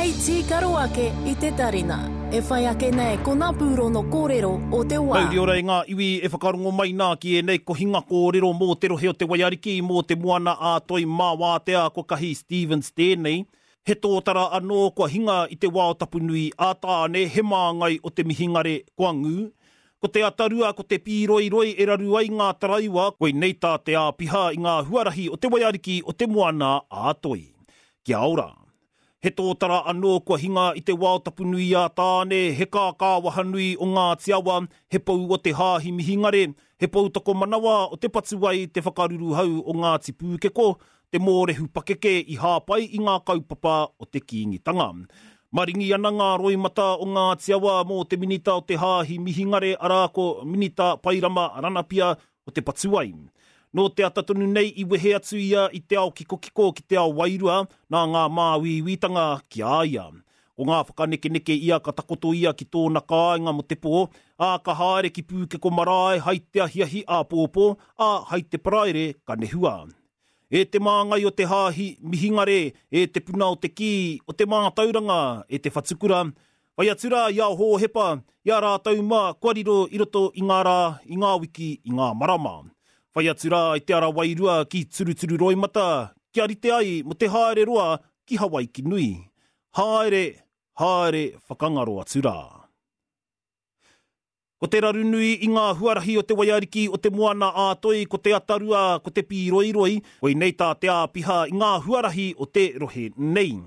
Hei tīkaro ake i te tarina. E whai ake nei ko ngā pūrono kōrero o te wā. Mauri ora e ngā iwi e whakarongo mai nā ki ēnei kohinga kōrero mō te rohe o Te Waiariki, mō Te Moana ā Toi mā Wātea ko Kahi Stevens tēnei. He tōtara anō kua hinga i te wao tapu nui ā Tāne, he māngai o te mihingare kua ngū. Ko te atarua, ko te pīroiroi e raru ai ngā taraiwa, koinei tā te āpiha i ngā huarahi o Te Waiariki o Te Moana ā Toi. Kia ora. He tōtara anō kua hinga i te wao tapu nui a Tāne, he kākā wahanui o Ngāti Awa, he pou o te Hāhi Mihingare, he poutokomanawa o Te Patuwai, te whakaruruhau o Ngāti Pūkeko, te mōrehu pakeke i hāpai i ngā kaupapa o te Kīngitanga. Maringi ana ngā roimata o Ngāti Awa mō te minita o te Hāhi Mihingare arā ko Minita Pairama Ranapia o Te Patuwai. Nō te ata tonu nei i wehe atu ia i te ao kikokiko ki te ao wairua nā ngā māuiuitanga ki a ia. Ko ngā whakanekeneke ia ka takoto ia ki tōna kāinga mō te pō, ā, ka haere ki Pūkeko marae hai te ahiahi āpōpō, ā, hai te Paraire ka nehua. E te māngai o te hāhi Mihingare, e te puna o te kī, o te mātauranga, e te whatukura, Whai atu rā i a Hōhepa, i a rātou mā kua riro i roto i ngā rā, i ngā wiki, i ngā marama. Whai atu rā i te ara wairua ki Turuturu Roimata, kia rite ai mo te haere roa ki Hawaiki nui. Haere, haere whakangaro atu rā. Ko te raru nui i ngā huarahi o te waiariki o te Moana ā-Toi ko te atarua, ko te pīroiroi, koinei tā te āpiha i ngā huarahi o te rohe nei.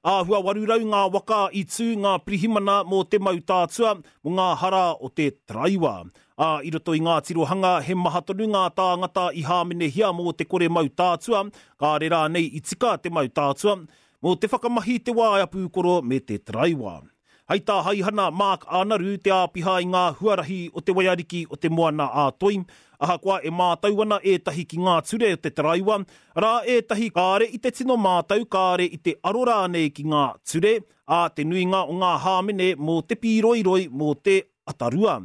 Āhua 800 ngā waka i tū ngā pirihimana mō te mau tātua, mō ngā hara o te taraiwa. Ā, i roto i ngā tirohanga he maha tonu ngā tāngata i hāmenehia mō te kore mau tātua, kāre rānei i tika te mau tātua, mō te whakamahi i te waea pūkoro me te taraiwa. Hai tā Haihana Mark Ānaru, te āpiha i ngā huarahi o te waiariki o te Moana ā-Toi, ahakoa e mātau ana ētahi ki ngā ture o te taraiwa, arā ētahi kāre i te tino mātau, kāre i te aro rānei ki ngā ture, ā, te nuinga o ngā hāmene mō te pīroiroi, mō te atarua.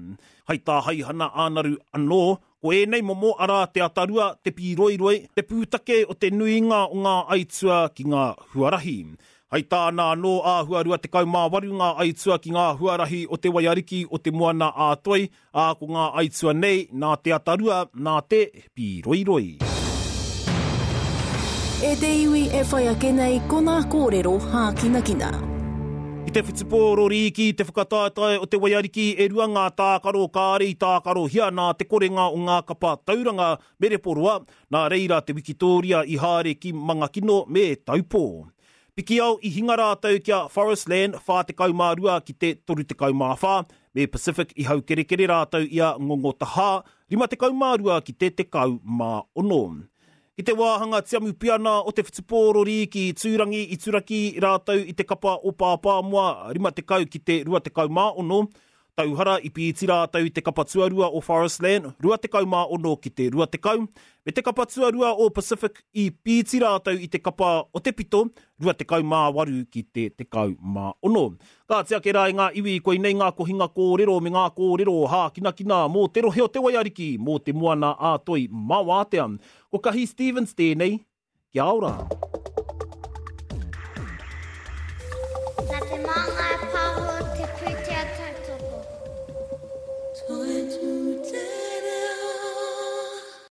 Hai tā Haihana Ānaru anō, Ko ēnei momo arā te atarua, te pīroiroi, te pūtake o te nuinga o ngā aitua ki ngā huarahi. Hai tāna anō āhua 28 ngā aitua ki ngā huarahi o te waiariki o Te Moana ā Toi, ā, ko ngā aitua nei nā te atarua, nā te pīroiroi. E te iwi e whai ake nei ko nā kōrero hākinakina. I te whutupōro rīki i te whakataetae o te waiariki e rua ngā tākaro kāre i tākarohia nā te korenga o ngā kapa tauranga me Reporoa, nā reira te wikitōria i haere ki Mangakino me Taupō. Pikiao i hinga rātou ki a Forestland 42 ki te 34, me Pacific i haukerekere rātou i a Ngongotahā 52 ki te 16. Ki te wāhanga tiamu piana o te whutupōro rīki Tūrangi i turaki rātou i te kapa o Pāpāmoa 50 ki te 26, Tauhara i pīti rātou i te kapa tuarua o Forestland 26 ki te 20, me te kapa tuarua o Pacific i pīti rātou i te kapa o Te Pito 28 ki te 16. Kāti ake rā e ngā iwi, koinei ngā kohinga kōrero me ngā kōrero hākinakina mō te rohe o Te Waiariki, mō te Moana ā Toi Mawātea. Ko Kahi Stevens tēnei, kia ora!